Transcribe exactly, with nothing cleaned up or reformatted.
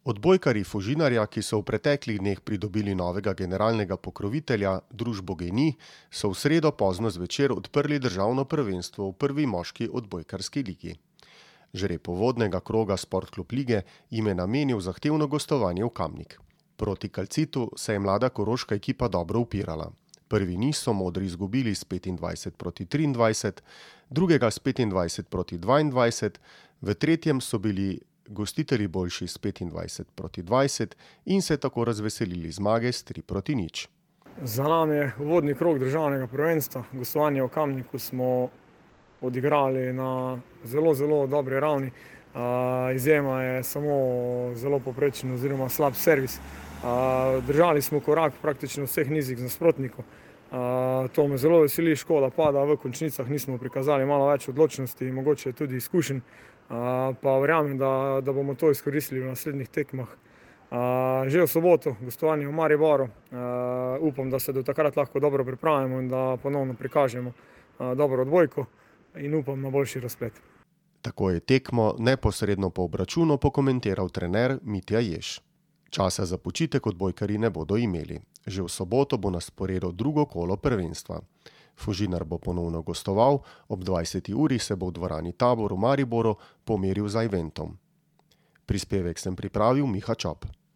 Odbojkarji Fužinarja, ki so v preteklih dneh pridobili novega generalnega pokrovitelja, družbo Gen-I, so v sredo pozno zvečer odprli državno prvenstvo v prvi moški odbojkarski ligi. Žreb uvodnega kroga Sportklub lige jim je namenil zahtevno gostovanje v Kamnik. Proti Kalcitu se je mlada koroška ekipa dobro upirala. Prvi niz so modri izgubili s petindvajset proti triindvajset, drugega s petindvajset proti dvaindvajset, v tretjem so bili gostitelji boljši s petindvajset proti dvajset in se tako razveselili zmage s tri proti nič. Za nami je uvodni krog državnega prvenstva. Gostovanje v Kamniku smo odigrali na zelo, zelo dobri ravni. Izjema je samo zelo povprečen oziroma slab servis. Držali smo korak praktično v vseh nizih z nasprotnikom. To me zelo veseli, škoda pa, da v končnicah nismo prikazali malo več odločnosti, mogoče tudi izkušenj. Pa verjamem, da, da bomo to izkoristili v naslednjih tekmah. Že v soboto gostovanje v Mariboru. Upam, da se do takrat lahko dobro pripravimo in da ponovno prikažemo dobro odbojko in upam na boljši razplet. Tako je tekmo neposredno po obračunu pokomentiral trener Mitja Jež. Časa za počitek odbojkarji ne bodo imeli. Že v soboto bo na sporedu drugo kolo prvenstva. Fužinar bo ponovno gostoval, ob dvajseti uri se bo v dvorani Tabor v Mariboru pomeril z Eventom. Prispevek sem pripravil Miha Čop.